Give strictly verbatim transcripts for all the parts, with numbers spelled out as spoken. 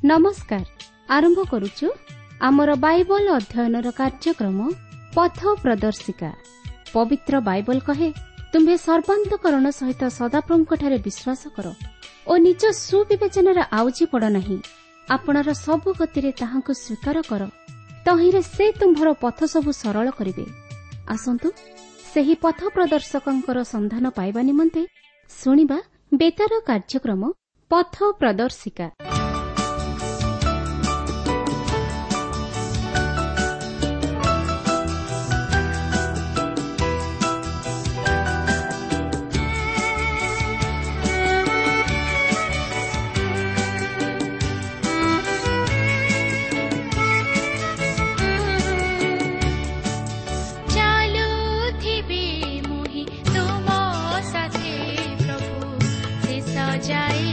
ନମସ୍କାର। ଆରମ୍ଭ କରୁଛୁ ଆମର ବାଇବଲ ଅଧ୍ୟୟନର କାର୍ଯ୍ୟକ୍ରମ ପଥ ପ୍ରଦର୍ଶିକା। ପବିତ୍ର ବାଇବଲ କହେ, ତୁମ୍ଭେ ସର୍ବାନ୍ତକରଣ ସହିତ ସଦାପ୍ରଭୁଙ୍କଠାରେ ବିଶ୍ୱାସ କର ଓ ନିଜ ସୁବିବେଚନାରେ ଆଉଜି ପଡ଼ ନାହିଁ। ଆପଣାର ସବୁ ଗତିରେ ତାହାଙ୍କୁ ସ୍ୱୀକାର କର, ତହିଁରେ ସେ ତୁମ୍ଭର ପଥ ସବୁ ସରଳ କରିବେ। ଆସନ୍ତୁ ସେହି ପଥ ପ୍ରଦର୍ଶକଙ୍କର ସନ୍ଧାନ ପାଇବା ନିମନ୍ତେ ଶୁଣିବା ବେତାର କାର୍ଯ୍ୟକ୍ରମ ପଥ ପ୍ରଦର୍ଶିକା। ଚାଲୁଥିବି ମୁହିଁ ତୁମ ସାଥେ ପ୍ରଭୁ ଶେଷ ଯାଏ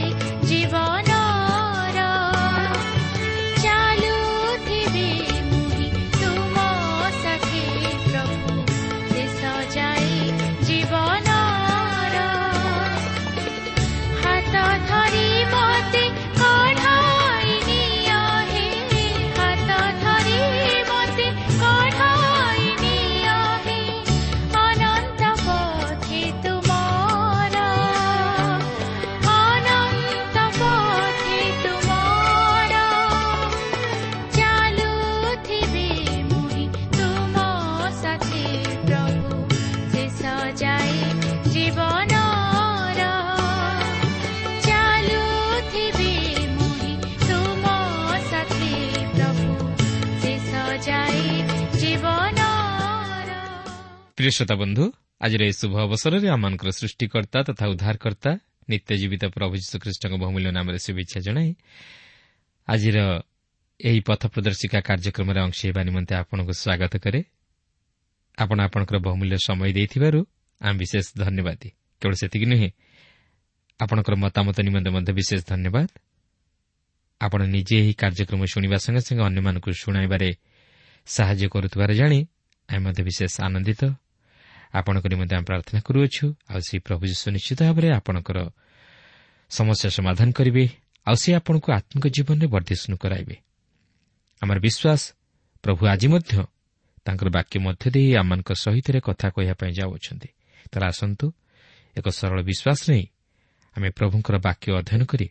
ଜୀବନର। ଚାଲୁଥିବି ମୁହିଁ ତୁମ ସାଥେ ପ୍ରଭୁ ଶେଷ ଯାଏ ଜୀବନର। ହାତ ଧରି ମତେ କଢ଼ାଇ ନିଅ ହେ, ହାତ ଧରି ମତେ କଢ଼ାଇ ନିଅ ହେ, ଅନନ୍ତ ପଥେ ତୁମର, ଅନନ୍ତ ପଥେ ତୁମର। ଚାଲୁଥିବି ମୁହିଁ ତୁମ ସାଥେ ପ୍ରଭୁ ଶେଷ ଯାଏ ଜୀବନର। ଚାଲୁଥିବି ମୁହିଁ ତୁମ ସାଥେ ପ୍ରଭୁ ଶେଷ ଯାଏ ଜୀବନର। ପ୍ରିୟ ଶ୍ରୋତା ବନ୍ଧୁ, ଆଜିର ଏହି ଶୁଭ ଅବସରରେ ଆମମାନଙ୍କର ସୃଷ୍ଟିକର୍ତ୍ତା ତଥା ଉଦ୍ଧାରକର୍ତ୍ତା ନିତ୍ୟ ଜୀବିତ ପ୍ରଭୁ ଯୀଶୁଖ୍ରୀଷ୍ଟଙ୍କ ବହୁମୂଲ୍ୟ ନାମରେ ଶୁଭେଚ୍ଛା ଜଣାଇ ଆଜିର ଏହି ପଥ ପ୍ରଦର୍ଶିକା କାର୍ଯ୍ୟକ୍ରମରେ ଅଂଶ ହେବା ନିମନ୍ତେ ଆପଣଙ୍କୁ ସ୍ୱାଗତ କରେ। ଆପଣ ଆପଣଙ୍କର ବହୁମୂଲ୍ୟ ସମୟ ଦେଇଥିବାରୁ ଆମେ ବିଶେଷ ଧନ୍ୟବାଦୀ। କେବଳ ସେତିକି ନୁହେଁ, ଆପଣଙ୍କର ମତାମତ ନିମନ୍ତେ ମଧ୍ୟ ବିଶେଷ ଧନ୍ୟବାଦ। ଆପଣ ନିଜେ ଏହି କାର୍ଯ୍ୟକ୍ରମ ଶୁଣିବା ସଙ୍ଗେ ସଙ୍ଗେ ଅନ୍ୟମାନଙ୍କୁ ଶୁଣାଇବାରେ ସାହାଯ୍ୟ କରୁଥିବାର ଜାଣି ଆମେ ମଧ୍ୟ ବିଶେଷ ଆନନ୍ଦିତ। ଆପଣଙ୍କ ନିମନ୍ତେ ଆମେ ପ୍ରାର୍ଥନା କରୁଅଛୁ, ଆଉ ସେ ପ୍ରଭୁ ଯୀଶୁ ନିଶ୍ଚିତ ଭାବରେ ଆପଣଙ୍କର ସମସ୍ୟା ସମାଧାନ କରିବେ, ଆଉ ସେ ଆପଣଙ୍କୁ ଆତ୍ମିକ ଜୀବନରେ ବର୍ଦ୍ଧିଷ୍ଣୁ କରାଇବେ। ଆମର ବିଶ୍ୱାସ, ପ୍ରଭୁ ଆଜି ମଧ୍ୟ ତାଙ୍କର ବାକ୍ୟ ମଧ୍ୟ ଦେଇ ଆମମାନଙ୍କ ସହିତ କଥା କହିବା ପାଇଁ ଯାଉଅଛନ୍ତି। ତାହେଲେ ଆସନ୍ତୁ ଏକ ସରଳ ବିଶ୍ୱାସ ନେଇ ଆମେ ପ୍ରଭୁଙ୍କର ବାକ୍ୟ ଅଧ୍ୟୟନ କରି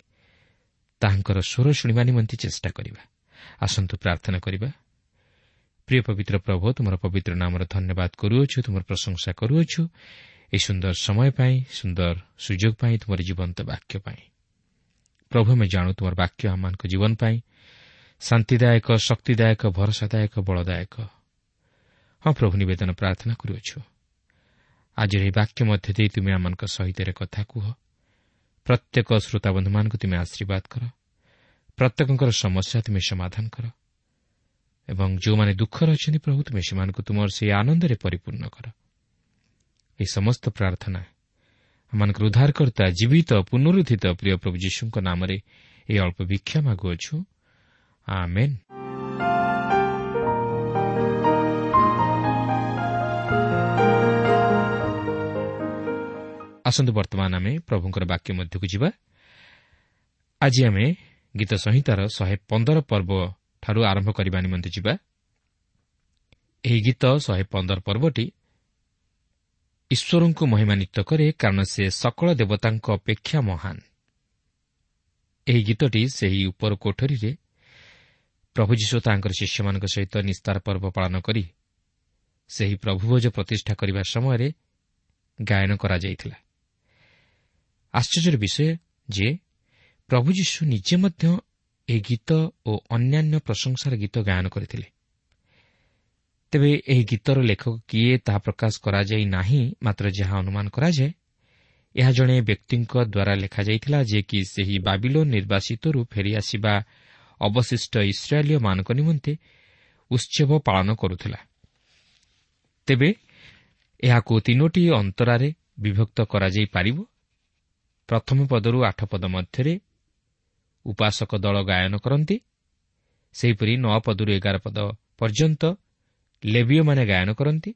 ତାହାଙ୍କର ସ୍ୱର ଶୁଣିବା ନିମନ୍ତେ ଚେଷ୍ଟା କରିବା। ଆସନ୍ତୁ ପ୍ରାର୍ଥନା କରିବା। ପ୍ରିୟ ପବିତ୍ର ପ୍ରଭୁ, ତୁମର ପବିତ୍ର ନାମର ଧନ୍ୟବାଦ କରୁଅଛୁ, ତୁମର ପ୍ରଶଂସା କରୁଅଛୁ ଏହି ସୁନ୍ଦର ସମୟ ପାଇଁ, ସୁନ୍ଦର ସୁଯୋଗ ପାଇଁ, ତୁମର ଜୀବନ୍ତ ବାକ୍ୟ ପାଇଁ। ପ୍ରଭୁ, ଆମେ ଜାଣୁ ତୁମର ବାକ୍ୟ ଆମମାନଙ୍କ ଜୀବନ ପାଇଁ ଶାନ୍ତିଦାୟକ, ଶକ୍ତିଦାୟକ, ଭରସାଦାୟକ, ବଳଦାୟକ। ହଁ ପ୍ରଭୁ, ନିବେଦନ ପ୍ରାର୍ଥନା କରୁଅଛୁ ଆଜିର ଏହି ବାକ୍ୟ ମଧ୍ୟ ଦେଇ ତୁମେ ଆମମାନଙ୍କ ସହିତ କଥା କୁହ। ପ୍ରତ୍ୟେକ ଶ୍ରୋତାବନ୍ଧୁମାନଙ୍କୁ ତୁମେ ଆଶୀର୍ବାଦ କର, ପ୍ରତ୍ୟେକଙ୍କର ସମସ୍ୟା ତୁମେ ସମାଧାନ କର, ଏବଂ ଯେଉଁମାନେ ଦୁଃଖରେ ଅଛନ୍ତି ପ୍ରଭୁ, ତୁମେ ସେମାନଙ୍କୁ ତୁମର ସେହି ଆନନ୍ଦରେ ପରିପୂର୍ଣ୍ଣ କର। ଏହି ସମସ୍ତ ପ୍ରାର୍ଥନା ଆମମାନଙ୍କର ଉଦ୍ଧାରକର୍ତ୍ତା ଜୀବିତ ପୁନରୁତ୍ଥିତ ପ୍ରିୟ ପ୍ରଭୁ ଯୀଶୁଙ୍କ ନାମରେ ଏହି ଅଳ୍ପ ଭିକ୍ଷା ମାଗୁଅଛୁ, ଆମେନ୍। ଆସନ୍ତୁ ବର୍ତ୍ତମାନ ଆମେ ପ୍ରଭୁଙ୍କର ବାକ୍ୟ ମଧ୍ୟକୁ ଯିବା। ଆଜି ଆମେ ଗୀତ ସଂହିତାର ଶହେ ପନ୍ଦର ପର୍ବ ଠାରୁ ଆରମ୍ଭ କରିବା ନିମନ୍ତେ ଯିବା। ଏହି ଗୀତ ଶହେ ପନ୍ଦର ପର୍ବଟି ଈଶ୍ୱରଙ୍କୁ ମହିମାନ୍ୱିତ କରେ, କାରଣ ସେ ସକଳ ଦେବତାଙ୍କ ଅପେକ୍ଷା ମହାନ। ଏହି ଗୀତଟି ସେହି ଉପର କୋଠରୀରେ ପ୍ରଭୁ ଯୀଶୁ ତାଙ୍କର ଶିଷ୍ୟମାନଙ୍କ ସହିତ ନିସ୍ତାର ପର୍ବ ପାଳନ କରି ସେହି ପ୍ରଭୁଭୋଜ ପ୍ରତିଷ୍ଠା କରିବା ସମୟରେ ଗାୟନ କରାଯାଇଥିଲା। ଆଶ୍ଚର୍ଯ୍ୟର ବିଷୟ ଯେ ପ୍ରଭୁ ଯୀଶୁ ନିଜେ ମଧ୍ୟ ଏହି ଗୀତ ଓ ଅନ୍ୟାନ୍ୟ ପ୍ରଶଂସାର ଗୀତ ଗାୟନ କରିଥିଲେ। ତେବେ ଏହି ଗୀତର ଲେଖକ କିଏ ତାହା ପ୍ରକାଶ କରାଯାଇ ନାହିଁ, ମାତ୍ର ଯାହା ଅନୁମାନ କରାଯାଏ ଏହା ଜଣେ ବ୍ୟକ୍ତିଙ୍କ ଦ୍ୱାରା ଲେଖାଯାଇଥିଲା, ଯିଏକି ସେହି ବାବିଲୋନ ନିର୍ବାସିତରୁ ଫେରିଆସିବା ଅବଶିଷ୍ଟ ଇସ୍ରାଏଲୀୟମାନଙ୍କ ନିମନ୍ତେ ଉତ୍ସବ ପାଳନ କରୁଥିଲା। ତେବେ ଏହାକୁ ତିନୋଟି ଅନ୍ତରାରେ ବିଭକ୍ତ କରାଯାଇପାରିବ। ପ୍ରଥମ ପଦରୁ ଆଠ ପଦ ମଧ୍ୟରେ ଉପାସକ ଦଳ ଗାୟନ କରନ୍ତି। ସେହିପରି ନଅ ପଦରୁ ଏଗାର ପଦ ପର୍ଯ୍ୟନ୍ତ ଲେବୀୟମାନେ ଗାୟନ କରନ୍ତି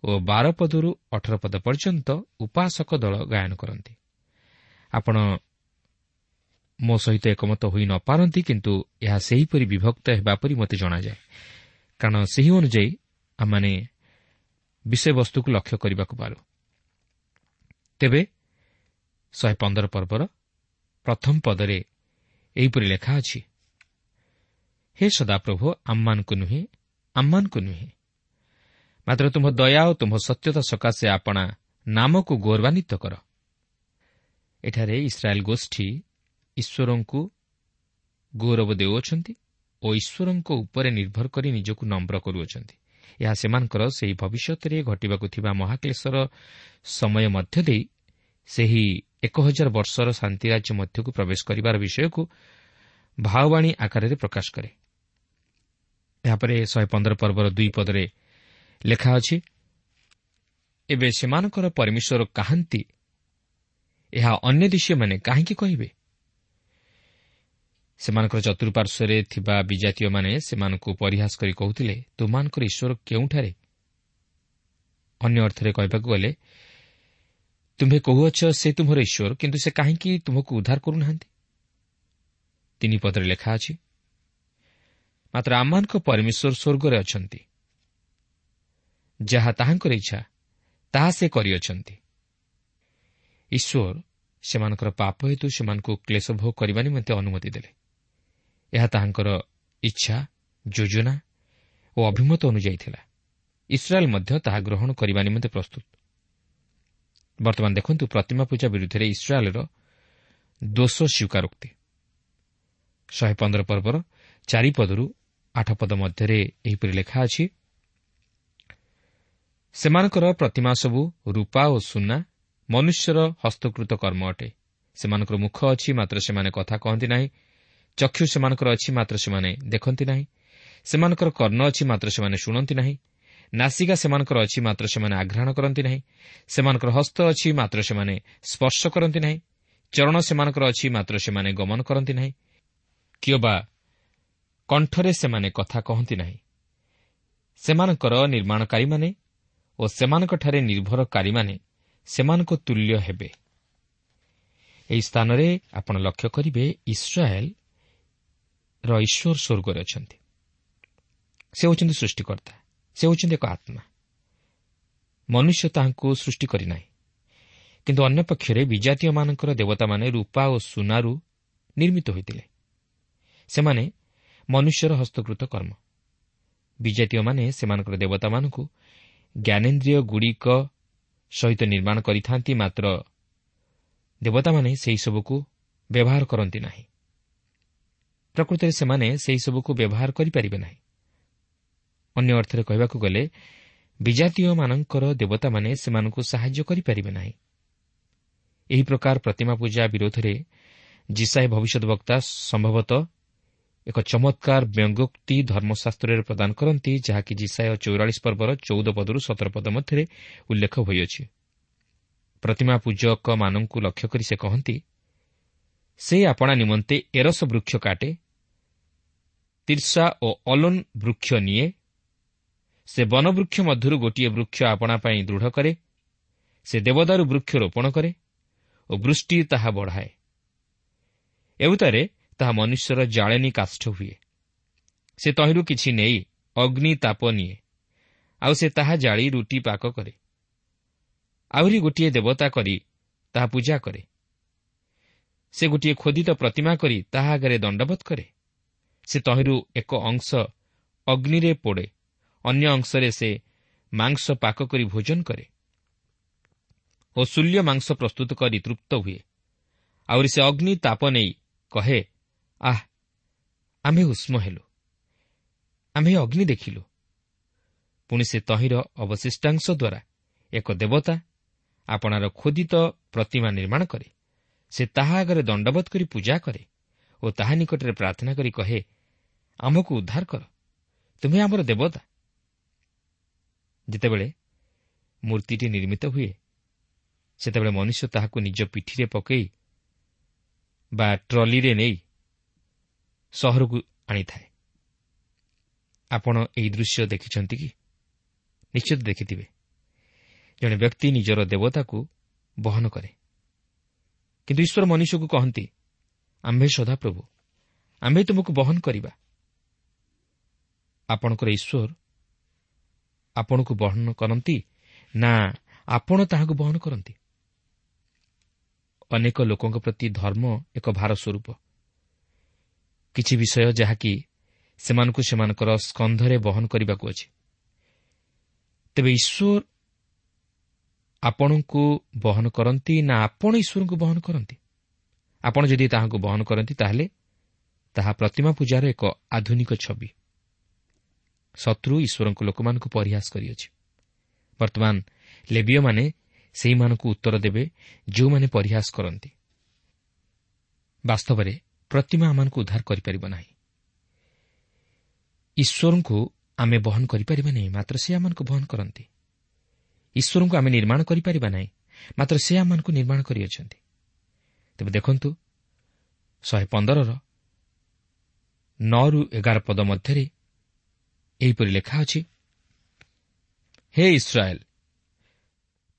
ଓ ବାର ପଦରୁ ଅଠର ପଦ ପର୍ଯ୍ୟନ୍ତ ଉପାସକ ଦଳ ଗାୟନ କରନ୍ତି। ଆପଣ ମୋ ସହିତ ଏକମତ ହୋଇ ନପାରନ୍ତି, କିନ୍ତୁ ଏହା ସେହିପରି ବିଭକ୍ତ ହେବା ପରି ମୋତେ ଜଣାଯାଏ, କାରଣ ସେହି ଅନୁଯାୟୀ ଆମମାନେ ବିଷୟବସ୍ତୁକୁ ଲକ୍ଷ୍ୟ କରିବାକୁ ପାରୁ। ତେବେ ଶହେ ପନ୍ଦର ପର୍ବର ପ୍ରଥମ ପଦରେ ଏହିପରି ଲେଖା ଅଛି, ହେ ସଦାପ୍ରଭୁ, ଆମମାନଙ୍କୁ ନୁହେଁ, ଆମମାନଙ୍କୁ ନୁହେଁ, ମାତ୍ର ତୁମ୍ଭ ଦୟା ଓ ତୁମ୍ଭ ସତ୍ୟତା ସକାଶେ ଆପଣା ନାମକୁ ଗୌରବାନ୍ୱିତ କର। ଏଠାରେ ଇସ୍ରାଏଲ୍ ଗୋଷ୍ଠୀ ଈଶ୍ୱରଙ୍କୁ ଗୌରବ ଦେଉଅଛନ୍ତି ଓ ଈଶ୍ୱରଙ୍କ ଉପରେ ନିର୍ଭର କରି ନିଜକୁ ନମ୍ର କରୁଅଛନ୍ତି। ଏହା ସେମାନଙ୍କର ସେହି ଭବିଷ୍ୟତରେ ଘଟିବାକୁ ଥିବା ମହାକ୍ଲେଶର ସମୟ ମଧ୍ୟ ଦେଇ ସେହି ଏକ ହଜାର ବର୍ଷର ଶାନ୍ତିରାଜ୍ୟ ମଧ୍ୟକୁ ପ୍ରବେଶ କରିବାର ବିଷୟକୁ ଭାବବାଣୀ ଆକାରରେ ପ୍ରକାଶ କରେ। ଏହାପରେ ଶହେ ପନ୍ଦର ପର୍ବର ଦୁଇ ପଦରେ ଲେଖା ଅଛି, ଏବେ ସେମାନଙ୍କର ପରମେଶ୍ୱର କାହାନ୍ତି, ଏହା ଅନ୍ୟ ଦେଶୀୟମାନେ କାହିଁକି କହିବେ? ସେମାନଙ୍କର ଚତୁଃପାର୍ଶ୍ୱରେ ଥିବା ବିଜାତୀୟମାନେ ସେମାନଙ୍କୁ ପରିହାସ କରି କହୁଥିଲେ, ତୁମମାନଙ୍କର ଈଶ୍ୱର କେଉଁଠାରେ? ଅନ୍ୟ ଅର୍ଥରେ କହିବାକୁ ଗଲେ, ତୁମ୍ଭେ କହୁଅଛ ସେ ତୁମ୍ଭର ଈଶ୍ୱର, କିନ୍ତୁ ସେ କାହିଁକି ତୁମକୁ ଉଦ୍ଧାର କରୁନାହାନ୍ତି? ତିନି ପଦରେ ଲେଖା ଅଛି, ମାତ୍ର ଆମମାନଙ୍କ ପରମେଶ୍ୱର ସ୍ୱର୍ଗରେ ଅଛନ୍ତି, ଯାହା ତାହାଙ୍କର ଇଚ୍ଛା ତାହା ସେ କରିଅଛନ୍ତି। ଈଶ୍ୱର ସେମାନଙ୍କର ପାପ ହେତୁ ସେମାନଙ୍କୁ କ୍ଲେଶ ଭୋଗ କରିବା ନିମନ୍ତେ ଅନୁମତି ଦେଲେ। ଏହା ତାହାଙ୍କର ଇଚ୍ଛା, ଯୋଜନା ଓ ଅଭିମତ ଅନୁଯାୟୀ ଥିଲା। ଇସ୍ରାଏଲ୍ ମଧ୍ୟ ତାହା ଗ୍ରହଣ କରିବା ନିମନ୍ତେ ପ୍ରସ୍ତୁତ। ବର୍ତ୍ତମାନ ଦେଖନ୍ତୁ ପ୍ରତିମା ପୂଜା ବିରୁଦ୍ଧରେ ଇସ୍ରାଏଲ୍ର ଦୋଷ ସ୍ୱୀକାରୋକ୍ତି। ଶହେ ପନ୍ଦର ପର୍ବର ଚାରିପଦରୁ ଆଠ ପଦ ମଧ୍ୟରେ ଏହିପରି ଲେଖା ଅଛି, ସେମାନଙ୍କର ପ୍ରତିମା ସବୁ ରୂପା ଓ ସୁନା, ମନୁଷ୍ୟର ହସ୍ତକୃତ କର୍ମ ଅଟେ। ସେମାନଙ୍କର ମୁଖ ଅଛି, ମାତ୍ର ସେମାନେ କଥା କହନ୍ତି ନାହିଁ। ଚକ୍ଷୁ ସେମାନଙ୍କର ଅଛି, ମାତ୍ର ସେମାନେ ଦେଖନ୍ତି ନାହିଁ। ସେମାନଙ୍କର କର୍ଣ୍ଣ ଅଛି, ମାତ୍ର ସେମାନେ ଶୁଣନ୍ତି ନାହିଁ। ନାସିକା ସେମାନଙ୍କର ଅଛି, ମାତ୍ର ସେମାନେ ଆଘ୍ରାଣ କରନ୍ତି ନାହିଁ। ସେମାନଙ୍କର ହସ୍ତ ଅଛି, ମାତ୍ର ସେମାନେ ସ୍ପର୍ଶ କରନ୍ତି ନାହିଁ। ଚରଣ ସେମାନଙ୍କର ଅଛି, ମାତ୍ର ସେମାନେ ଗମନ କରନ୍ତି ନାହିଁ, କିମ୍ବା କଣ୍ଠରେ ସେମାନେ କଥା କହନ୍ତି ନାହିଁ। ସେମାନଙ୍କର ନିର୍ମାଣକାରୀମାନେ ଓ ସେମାନଙ୍କଠାରେ ନିର୍ଭରକାରୀମାନେ ସେମାନଙ୍କ ତୁଲ୍ୟ ହେବେ। ଏହି ସ୍ଥାନରେ ଆପଣ ଲକ୍ଷ୍ୟ କରିବେ, ଇସ୍ରାଏଲ୍ର ଈଶ୍ୱର ସ୍ୱର୍ଗରେ ଅଛନ୍ତି। ସେ ହେଉଛନ୍ତି ସୃଷ୍ଟିକର୍ତ୍ତା, ସେ ହେଉଛନ୍ତି ଏକ ଆତ୍ମା। ମନୁଷ୍ୟ ତାହାଙ୍କୁ ସୃଷ୍ଟି କରିନାହିଁ। କିନ୍ତୁ ଅନ୍ୟପକ୍ଷରେ ବିଜାତୀୟମାନଙ୍କର ଦେବତାମାନେ ରୂପା ଓ ସୁନାରୁ ନିର୍ମିତ ହୋଇଥିଲେ। ସେମାନେ ମନୁଷ୍ୟର ହସ୍ତକୃତ କର୍ମ। ବିଜାତୀୟମାନେ ସେମାନଙ୍କର ଦେବତାମାନଙ୍କୁ ଜ୍ଞାନେନ୍ଦ୍ରିୟଗୁଡ଼ିକ ସହିତ ନିର୍ମାଣ କରିଥାନ୍ତି, ମାତ୍ର ଦେବତାମାନେ ସେହିସବୁକୁ ବ୍ୟବହାର କରନ୍ତି ନାହିଁ। ପ୍ରକୃତରେ ସେମାନେ ସେହିସବୁକୁ ବ୍ୟବହାର କରିପାରିବେ ନାହିଁ। ଅନ୍ୟ ଅର୍ଥରେ କହିବାକୁ ଗଲେ, ବିଜାତୀୟମାନଙ୍କର ଦେବତାମାନେ ସେମାନଙ୍କୁ ସାହାଯ୍ୟ କରିପାରିବେ ନାହିଁ। ଏହି ପ୍ରକାର ପ୍ରତିମା ପୂଜା ବିରୋଧରେ ଯିଶାଇୟ ଭବିଷ୍ୟଦ୍‌ବକ୍ତା ସମ୍ଭବତଃ ଏକ ଚମତ୍କାର ବ୍ୟଙ୍ଗୋକ୍ତି ଧର୍ମଶାସ୍ତ୍ରରେ ପ୍ରଦାନ କରନ୍ତି, ଯାହାକି ଯିଶାଇୟ ଚଉରାଳିଶ ପର୍ବର ଚଉଦ ପଦରୁ ସତର ପଦ ମଧ୍ୟରେ ଉଲ୍ଲେଖ ହୋଇଅଛି। ପ୍ରତିମା ପୂଜକମାନଙ୍କୁ ଲକ୍ଷ୍ୟ କରି ସେ କହନ୍ତି, ସେ ଆପଣା ନିମନ୍ତେ ଏରସ ବୃକ୍ଷ କାଟେ, ତିର୍ସା ଓ ଅଲୋନ ବୃକ୍ଷ ନିଏ। ସେ ବନବୃକ୍ଷ ମଧ୍ୟରୁ ଗୋଟିଏ ବୃକ୍ଷ ଆପଣା ପାଇଁ ଦୃଢ଼ କରେ। ସେ ଦେବଦାରୁ ବୃକ୍ଷ ରୋପଣ କରେ ଓ ବୃଷ୍ଟି ତାହା ବଢ଼ାଏ। ଏଉତାରେ ତାହା ମନୁଷ୍ୟର ଜାଳେଣୀ କାଷ୍ଠ ହୁଏ। ସେ ତହିଁରୁ କିଛି ନେଇ ଅଗ୍ନି ତାପ ନିଏ, ଆଉ ସେ ତାହା ଜାଳି ରୁଟି ପାକ କରେ। ଆହୁରି ଗୋଟିଏ ଦେବତା କରି ତାହା ପୂଜା କରେ। ସେ ଗୋଟିଏ ଖୋଦିତ ପ୍ରତିମା କରି ତାହା ଆଗରେ ଦଣ୍ଡବତ କରେ। ସେ ତହିଁରୁ ଏକ ଅଂଶ ଅଗ୍ନିରେ ପୋଡ଼େ, ଅନ୍ୟ ଅଂଶରେ ସେ ମାଂସ ପାକ କରି ଭୋଜନ କରେ ଓ ଶୂଲ୍ୟ ମାଂସ ପ୍ରସ୍ତୁତ କରି ତୃପ୍ତ ହୁଏ। ଆହୁରି ସେ ଅଗ୍ନି ତାପ ନେଇ କହେ, ଆଃ, ଆମ୍ଭେ ଉଷ୍ମ ହେଲୁ, ଆମ୍ଭେ ଅଗ୍ନି ଦେଖିଲୁ। ପୁଣି ସେ ତହିଁର ଅବଶିଷ୍ଟାଂଶ ଦ୍ୱାରା ଏକ ଦେବତା ଆପଣାର ଖୋଦିତ ପ୍ରତିମା ନିର୍ମାଣ କରେ। ସେ ତାହା ଆଗରେ ଦଣ୍ଡବତ କରି ପୂଜା କରେ ଓ ତାହା ନିକଟରେ ପ୍ରାର୍ଥନା କରି କହେ, ଆମ୍ଭକୁ ଉଦ୍ଧାର କର, ତୁମେ ଆମର ଦେବତା। ଯେତେବେଳେ ମୂର୍ତ୍ତିଟି ନିର୍ମିତ ହୁଏ, ସେତେବେଳେ ମନୁଷ୍ୟ ତାହାକୁ ନିଜ ପିଠିରେ ପକାଇ ବା ଟ୍ରଲିରେ ନେଇ ସହରକୁ ଆଣିଥାଏ। ଆପଣ ଏହି ଦୃଶ୍ୟ ଦେଖିଛନ୍ତି କି? ନିଶ୍ଚିତ ଦେଖିଥିବେ। ଜଣେ ବ୍ୟକ୍ତି ନିଜର ଦେବତାକୁ ବହନ କରେ, କିନ୍ତୁ ଈଶ୍ୱର ମନୁଷ୍ୟକୁ କହନ୍ତି, ଆମ୍ଭେ ସଦାପ୍ରଭୁ, ଆମ୍ଭେ ତୁମକୁ ବହନ କରିବା। ଆପଣଙ୍କର ଈଶ୍ୱର ଆପଣଙ୍କୁ ବହନ କରନ୍ତି ନା ଆପଣ ତାହାକୁ ବହନ କରନ୍ତି? ଅନେକ ଲୋକଙ୍କ ପ୍ରତି ଧର୍ମ ଏକ ଭାର ସ୍ୱରୂପ, କିଛି ବିଷୟ ଯାହାକି ସେମାନଙ୍କୁ ସେମାନଙ୍କର ସ୍କନ୍ଧରେ ବହନ କରିବାକୁ ଅଛି। ତେବେ ଈଶ୍ୱର ଆପଣଙ୍କୁ ବହନ କରନ୍ତି ନା ଆପଣ ଈଶ୍ୱରଙ୍କୁ ବହନ କରନ୍ତି? ଆପଣ ଯଦି ତାହାଙ୍କୁ ବହନ କରନ୍ତି, ତାହେଲେ ତାହା ପ୍ରତିମା ପୂଜାର ଏକ ଆଧୁନିକ ଛବି। ଶତ୍ରୁ ଈଶ୍ୱରଙ୍କ ଲୋକମାନଙ୍କୁ ପରିହାସ କରିଅଛି। ବର୍ତ୍ତମାନ ଲେବୀୟମାନେ ସେହିମାନଙ୍କୁ ଉତ୍ତର ଦେବେ ଯେଉଁମାନେ ପରିହାସ କରନ୍ତି। ବାସ୍ତବରେ ପ୍ରତିମା ଆମମାନଙ୍କୁ ଉଦ୍ଧାର କରିପାରିବ ନାହିଁ। ଈଶ୍ୱରଙ୍କୁ ଆମେ ବହନ କରିପାରିବା ନାହିଁ, ମାତ୍ର ସେ ଆମମାନଙ୍କୁ ବହନ କରନ୍ତି। ଈଶ୍ୱରଙ୍କୁ ଆମେ ନିର୍ମାଣ କରିପାରିବା ନାହିଁ, ମାତ୍ର ସେ ଆମମାନଙ୍କୁ ନିର୍ମାଣ କରିଅଛନ୍ତି। ତେବେ ଦେଖନ୍ତୁ, ଶହେ ପନ୍ଦରର ନଅରୁ ଏଗାର ପଦ ମଧ୍ୟରେ ଏହିପରି ଲେଖା ଅଛି, ହେ ଇସ୍ରାଏଲ,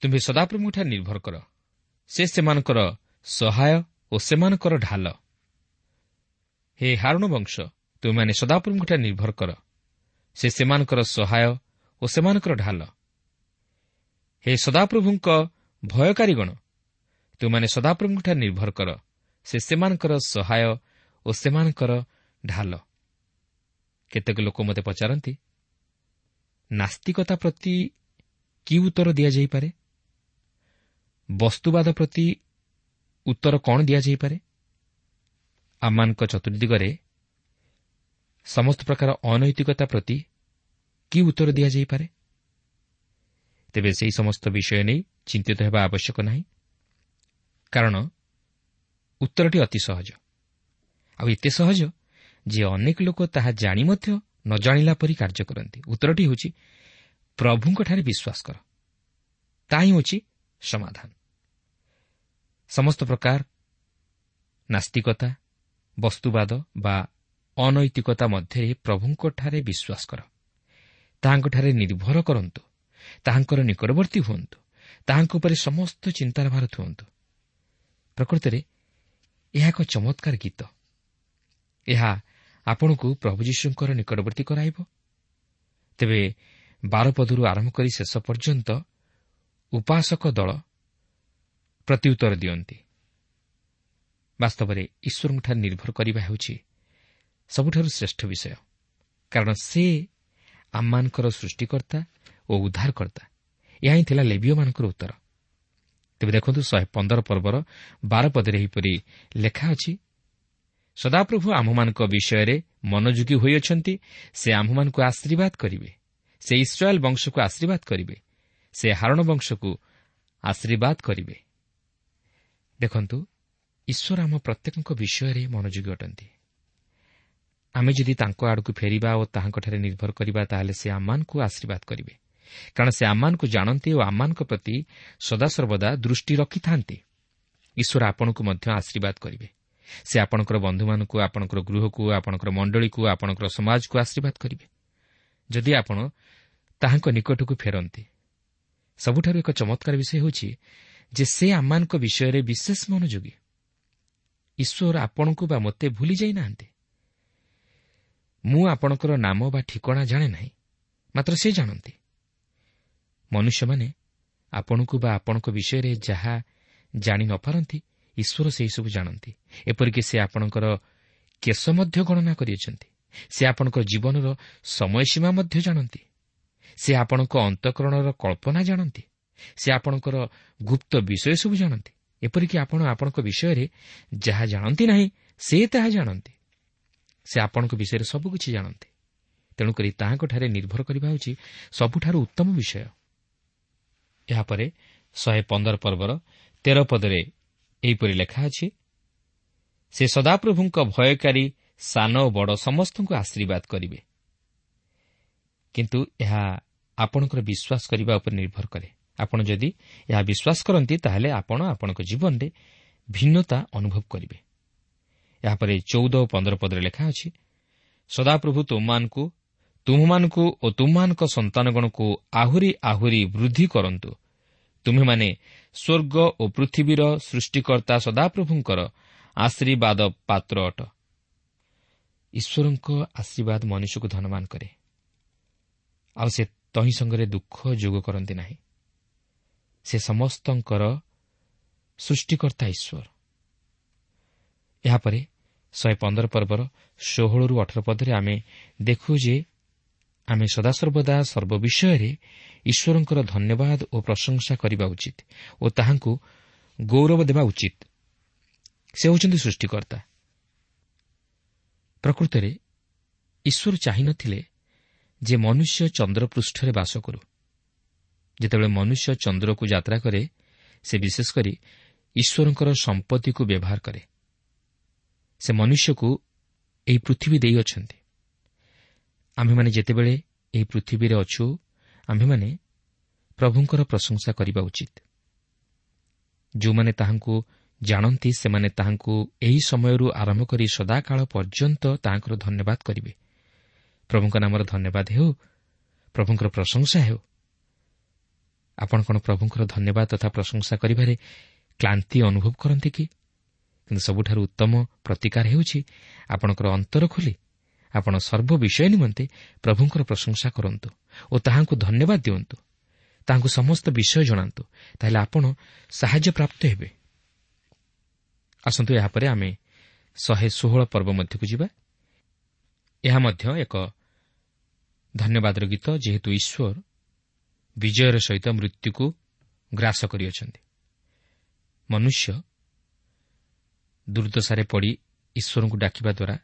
ତୁମ୍ଭେ ସଦାପ୍ରଭୁଙ୍କଠାରେ ନିର୍ଭର କର, ସେ ସେମାନଙ୍କର ସହାୟ ଓ ସେମାନଙ୍କର ଢାଲ। ହେ ହାରୁଣ ବଂଶ, ତୁମେମାନେ ସଦାପ୍ରଭୁଙ୍କଠାରେ ନିର୍ଭର କର, ସେ ସେମାନଙ୍କର ସହାୟ ଓ ସେମାନଙ୍କର ଢାଲ। ହେ ସଦାପ୍ରଭୁଙ୍କ ଭୟକାରୀଗଣ, ତୁମେମାନେ ସଦାପ୍ରଭୁଙ୍କଠାରେ ନିର୍ଭର କର, ସେ ସେମାନଙ୍କର ସହାୟ ଓ ସେମାନଙ୍କର ଢାଲ। କେତେକ ଲୋକ ମୋତେ ପଚାରନ୍ତି, ନାସ୍ତିକତା ପ୍ରତି କି ଉତ୍ତର ଦିଆଯାଇପାରେ? ବସ୍ତୁବାଦ ପ୍ରତି ଉତ୍ତର କ'ଣ ଦିଆଯାଇପାରେ? ଆମମାନଙ୍କ ଚତୁର୍ଦିଗରେ ସମସ୍ତ ପ୍ରକାର ଅନୈତିକତା ପ୍ରତି କି ଉତ୍ତର ଦିଆଯାଇପାରେ? ତେବେ ସେହି ସମସ୍ତ ବିଷୟ ନେଇ ଚିନ୍ତିତ ହେବା ଆବଶ୍ୟକ ନାହିଁ, କାରଣ ଉତ୍ତରଟି ଅତି ସହଜ। ଆଉ ଏତେ ସହଜ ଯେ ଅନେକ ଲୋକ ତାହା ଜାଣି ମଧ୍ୟ ନ ଜାଣିଲା ପରି କାର୍ଯ୍ୟ କରନ୍ତି। ଉତ୍ତରଟି ହେଉଛି, ପ୍ରଭୁଙ୍କଠାରେ ବିଶ୍ୱାସ କର, ତାହା ହିଁ ହେଉଛି ସମାଧାନ। ସମସ୍ତ ପ୍ରକାର ନାସ୍ତିକତା, ବସ୍ତୁବାଦ ବା ଅନୈତିକତା ମଧ୍ୟରେ ପ୍ରଭୁଙ୍କଠାରେ ବିଶ୍ୱାସ କର, ତାହାଙ୍କଠାରେ ନିର୍ଭର କରନ୍ତୁ, ତାହାଙ୍କର ନିକଟବର୍ତ୍ତୀ ହୁଅନ୍ତୁ, ତାହାଙ୍କ ଉପରେ ସମସ୍ତ ଚିନ୍ତାର ଭାର ଥୁଅନ୍ତୁ। ପ୍ରକୃତରେ ଏହା ଏକ ଚମତ୍କାର ଗୀତ। ଏହା ଆପଣଙ୍କୁ ପ୍ରଭୁ ଯୀଶୁଙ୍କର ନିକଟବର୍ତ୍ତୀ କରାଇବ। ତେବେ ବାର ପଦରୁ ଆରମ୍ଭ କରି ଶେଷ ପର୍ଯ୍ୟନ୍ତ ଉପାସକ ଦଳ ପ୍ରତ୍ୟୁତ୍ତର ଦିଅନ୍ତି। ବାସ୍ତବରେ ଈଶ୍ୱରଙ୍କଠାରେ ନିର୍ଭର କରିବା ହେଉଛି ସବୁଠାରୁ ଶ୍ରେଷ୍ଠ ବିଷୟ, କାରଣ ସେ ଆମମାନଙ୍କର ସୃଷ୍ଟିକର୍ତ୍ତା ଓ ଉଦ୍ଧାରକର୍ତ୍ତା। ଏହା ହିଁ ଥିଲା ଲେବୀୟମାନଙ୍କର ଉତ୍ତର। ତେବେ ଦେଖନ୍ତୁ, ଶହେ ପନ୍ଦର ପର୍ବର ବାର ପଦରେ ଏହିପରି ଲେଖା ଅଛି, ସଦାପ୍ରଭୁ ଆମ୍ଭମାନଙ୍କ ବିଷୟରେ ମନୋଯୋଗୀ ହୋଇଅଛନ୍ତି, ସେ ଆମ୍ଭମାନଙ୍କୁ ଆଶୀର୍ବାଦ କରିବେ, ସେ ଇସ୍ରାଏଲ ବଂଶକୁ ଆଶୀର୍ବାଦ କରିବେ, ସେ ହାରଣ ବଂଶକୁ ଆଶୀର୍ବାଦ କରିବେ। ଦେଖନ୍ତୁ, ଈଶ୍ୱର ଆମ ପ୍ରତ୍ୟେକଙ୍କ ବିଷୟରେ ମନୋଯୋଗୀ ଅଟନ୍ତି। ଆମେ ଯଦି ତାଙ୍କ ଆଡ଼କୁ ଫେରିବା ଓ ତାହାଙ୍କଠାରେ ନିର୍ଭର କରିବା, ତାହେଲେ ସେ ଆମମାନଙ୍କୁ ଆଶୀର୍ବାଦ କରିବେ, କାରଣ ସେ ଆମମାନଙ୍କୁ ଜାଣନ୍ତି ଓ ଆମମାନଙ୍କ ପ୍ରତି ସଦାସର୍ବଦା ଦୃଷ୍ଟି ରଖିଥାନ୍ତି। ଈଶ୍ୱର ଆପଣଙ୍କୁ ମଧ୍ୟ ଆଶୀର୍ବାଦ କରିବେ। ସେ ଆପଣଙ୍କର ବନ୍ଧୁମାନଙ୍କୁ, ଆପଣଙ୍କର ଗୃହକୁ, ଆପଣଙ୍କର ମଣ୍ଡଳୀକୁ, ଆପଣଙ୍କର ସମାଜକୁ ଆଶୀର୍ବାଦ କରିବେ, ଯଦି ଆପଣ ତାହାଙ୍କ ନିକଟକୁ ଫେରନ୍ତି। ସବୁଠାରୁ ଏକ ଚମତ୍କାର ବିଷୟ ହେଉଛି ଯେ ସେ ଆମମାନଙ୍କ ବିଷୟରେ ବିଶେଷ ମନୋଯୋଗୀ। ଈଶ୍ୱର ଆପଣଙ୍କୁ ବା ମୋତେ ଭୁଲି ଯାଇନାହାନ୍ତି। ମୁଁ ଆପଣଙ୍କର ନାମ ବା ଠିକଣା ଜାଣେ ନାହିଁ, ମାତ୍ର ସେ ଜାଣନ୍ତି। ମନୁଷ୍ୟମାନେ ଆପଣଙ୍କୁ ବା ଆପଣଙ୍କ ବିଷୟରେ ଯାହା ଜାଣି ନପାରନ୍ତି, ଈଶ୍ୱର ସେହିସବୁ ଜାଣନ୍ତି। ଏପରିକି ସେ ଆପଣଙ୍କର କେଶ ମଧ୍ୟ ଗଣନା କରିଅଛନ୍ତି। ସେ ଆପଣଙ୍କ ଜୀବନର ସମୟସୀମା ମଧ୍ୟ ଜାଣନ୍ତି। ସେ ଆପଣଙ୍କ ଅନ୍ତଃକରଣର କଳ୍ପନା ଜାଣନ୍ତି। ସେ ଆପଣଙ୍କର ଗୁପ୍ତ ବିଷୟ ସବୁ ଜାଣନ୍ତି। ଏପରିକି ଆପଣ ଆପଣଙ୍କ ବିଷୟରେ ଯାହା ଜାଣନ୍ତି ନାହିଁ, ସେ ତାହା ଜାଣନ୍ତି। ସେ ଆପଣଙ୍କ ବିଷୟରେ ସବୁକିଛି ଜାଣନ୍ତି। ତେଣୁକରି ତାହାଙ୍କଠାରେ ନିର୍ଭର କରିବା ହେଉଛି ସବୁଠାରୁ ଉତ୍ତମ ବିଷୟ। ଏହାପରେ ଶହେ ପନ୍ଦର ପର୍ବର ତେର ପଦରେ ଏହିପରି ଲେଖା ଅଛି, ସେ ସଦାପ୍ରଭୁଙ୍କ ଭୟକାରୀ ସାନ ଓ ବଡ଼ ସମସ୍ତଙ୍କୁ ଆଶୀର୍ବାଦ କରିବେ। କିନ୍ତୁ ଏହା ଆପଣଙ୍କର ବିଶ୍ୱାସ କରିବା ଉପରେ ନିର୍ଭର କରେ। ଆପଣ ଯଦି ଏହା ବିଶ୍ୱାସ କରନ୍ତି, ତାହେଲେ ଆପଣ ଆପଣଙ୍କ ଜୀବନରେ ଭିନ୍ନତା ଅନୁଭବ କରିବେ। ଏହାପରେ ଚଉଦ ଓ ପନ୍ଦର ପଦରେ ଲେଖା ଅଛି, ସଦାପ୍ରଭୁ ତୁମମାନଙ୍କୁ ତୁମମାନଙ୍କୁ ଓ ତୁମମାନଙ୍କ ସନ୍ତାନଗଣକୁ ଆହୁରି ଆହୁରି ବୃଦ୍ଧି କରନ୍ତୁ। ତୁମେମାନେ ସ୍ୱର୍ଗ ଓ ପୃଥିବୀର ସୃଷ୍ଟିକର୍ତ୍ତା ସଦାପ୍ରଭୁଙ୍କର ଆଶୀର୍ବାଦ ପାତ୍ର ଅଟ। ଈଶ୍ୱରଙ୍କ ଆଶୀର୍ବାଦ ମନୁଷ୍ୟକୁ ଧନବାନ କରେ, ଆଉ ସେ ତହିଁ ସଙ୍ଗରେ ଦୁଃଖ ଯୋଗ କରନ୍ତି ନାହିଁ। ସେ ସମସ୍ତଙ୍କର ସୃଷ୍ଟିକର୍ତ୍ତା ଈଶ୍ୱର। ଏହାପରେ ଶହେ ପନ୍ଦର ପର୍ବର ଷୋହଳରୁ ଅଠର ପଦରେ ଆମେ ଦେଖୁ ଯେ ଆମେ ସଦାସର୍ବଦା ସର୍ବବିଷୟରେ ଈଶ୍ୱରଙ୍କର ଧନ୍ୟବାଦ ଓ ପ୍ରଶଂସା କରିବା ଉଚିତ ଓ ତାହାଙ୍କୁ ଗୌରବ ଦେବା ଉଚିତ। ସେ ହେଉଛନ୍ତି ସୃଷ୍ଟିକର୍ତ୍ତା। ପ୍ରକୃତରେ ଈଶ୍ୱର ଚାହିଁନଥିଲେ ଯେ ମନୁଷ୍ୟ ଚନ୍ଦ୍ରପୃଷ୍ଠରେ ବାସ କରୁ। ଯେତେବେଳେ ମନୁଷ୍ୟ ଚନ୍ଦ୍ରକୁ ଯାତ୍ରା କରେ, ସେ ବିଶେଷ କରି ଈଶ୍ୱରଙ୍କର ସମ୍ପତ୍ତିକୁ ବ୍ୟବହାର କରେ। ସେ ମନୁଷ୍ୟକୁ ଏହି ପୃଥିବୀ ଦେଇଅଛନ୍ତି। ଆମ୍ଭେମାନେ ଯେତେବେଳେ ଏହି ପୃଥିବୀରେ ଅଛୁ, ଆମ୍ଭେମାନେ ପ୍ରଭୁଙ୍କର ପ୍ରଶଂସା କରିବା ଉଚିତ। ଯେଉଁମାନେ ତାହାଙ୍କୁ ଜାଣନ୍ତି, ସେମାନେ ତାହାଙ୍କୁ ଏହି ସମୟରୁ ଆରମ୍ଭ କରି ସଦାକାଳ ପର୍ଯ୍ୟନ୍ତ ତାହାଙ୍କର ଧନ୍ୟବାଦ କରିବେ। ପ୍ରଭୁଙ୍କ ନାମର ଧନ୍ୟବାଦ ହେଉ, ପ୍ରଭୁଙ୍କର ପ୍ରଶଂସା ହେଉ। ଆପଣ କ'ଣ ପ୍ରଭୁଙ୍କର ଧନ୍ୟବାଦ ତଥା ପ୍ରଶଂସା କରିବାରେ କ୍ଳାନ୍ତି ଅନୁଭବ କରନ୍ତି କି? କିନ୍ତୁ ସବୁଠାରୁ ଉତ୍ତମ ପ୍ରତିକାର ହେଉଛି ଆପଣଙ୍କର ଅନ୍ତର ଖୋଲି ଆପଣ ସର୍ବ ବିଷୟ ନିମନ୍ତେ ପ୍ରଭୁଙ୍କର ପ୍ରଶଂସା କରନ୍ତୁ ଓ ତାହାଙ୍କୁ ଧନ୍ୟବାଦ ଦିଅନ୍ତୁ। ତାହାଙ୍କୁ ସମସ୍ତ ବିଷୟ ଜଣାନ୍ତୁ, ତାହେଲେ ଆପଣ ସାହାଯ୍ୟ ପ୍ରାପ୍ତ ହେବେ। ଆସନ୍ତୁ ଏହାପରେ ଆମେ ଶହେ ଷୋହଳ ପର୍ବ ମଧ୍ୟକୁ ଯିବା। ଏହା ମଧ୍ୟ ଏକ ଧନ୍ୟବାଦର ଗୀତ, ଯେହେତୁ ଈଶ୍ୱର ବିଜୟର ସହିତ ମୃତ୍ୟୁକୁ ଗ୍ରାସ କରିଅଛନ୍ତି। ମନୁଷ୍ୟ ଦୁର୍ଦ୍ଦଶାରେ ପଡ଼ି ଈଶ୍ୱରଙ୍କୁ ଡାକିବା ଦ୍ୱାରା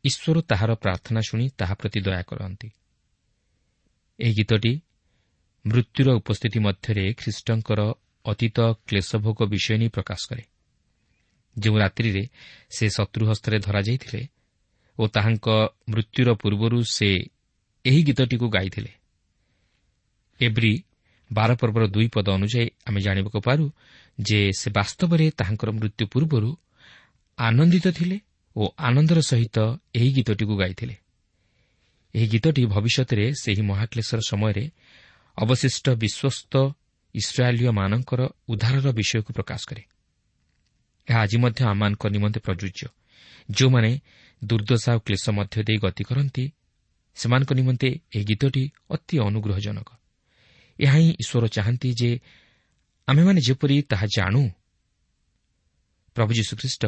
ଈଶ୍ୱର ତାହାର ପ୍ରାର୍ଥନା ଶୁଣି ତାହା ପ୍ରତି ଦୟା କରନ୍ତି। ଏହି ଗୀତଟି ମୃତ୍ୟୁର ଉପସ୍ଥିତି ମଧ୍ୟରେ ଖ୍ରୀଷ୍ଟଙ୍କର ଅତୀତ କ୍ଲେଶଭୋଗ ବିଷୟ ନେଇ ପ୍ରକାଶ କରେ। ଯେଉଁ ରାତ୍ରିରେ ସେ ଶତ୍ରୁ ହସ୍ତରେ ଧରାଯାଇଥିଲେ ଓ ତାହାଙ୍କ ମୃତ୍ୟୁର ପୂର୍ବରୁ ସେ ଏହି ଗୀତଟିକୁ ଗାଇଥିଲେ। ଏବ୍ରୀ ବାର ପର୍ବର ଦୁଇ ପଦ ଅନୁଯାୟୀ ଆମେ ଜାଣିବାକୁ ପାରୁ ଯେ ସେ ବାସ୍ତବରେ ତାହାଙ୍କର ମୃତ୍ୟୁ ପୂର୍ବରୁ ଆନନ୍ଦିତ ଥିଲେ ଓ ଆନନ୍ଦର ସହିତ ଏହି ଗୀତଟିକୁ ଗାଇଥିଲେ। ଏହି ଗୀତଟି ଭବିଷ୍ୟତରେ ସେହି ମହାକ୍ଲେଶର ସମୟରେ ଅବଶିଷ୍ଟ ବିଶ୍ୱସ୍ତ ଇସ୍ରାଏଲୀୟମାନଙ୍କର ଉଦ୍ଧାରର ବିଷୟକୁ ପ୍ରକାଶ କରେ। ଏହା ଆଜି ମଧ୍ୟ ଆମମାନଙ୍କ ନିମନ୍ତେ ପ୍ରଯୁଜ୍ୟ। ଯେଉଁମାନେ ଦୁର୍ଦ୍ଦଶା ଓ କ୍ଲେଶ ମଧ୍ୟ ଦେଇ ଗତି କରନ୍ତି, ସେମାନଙ୍କ ନିମନ୍ତେ ଏହି ଗୀତଟି ଅତି ଅନୁଗ୍ରହଜନକ। ଏହା ହିଁ ଈଶ୍ୱର ଚାହାନ୍ତି ଯେ ଆମେମାନେ ଯେପରି ତାହା ଜାଣୁ। ପ୍ରଭୁ ଯୀଶୁଖ୍ରୀଷ୍ଟ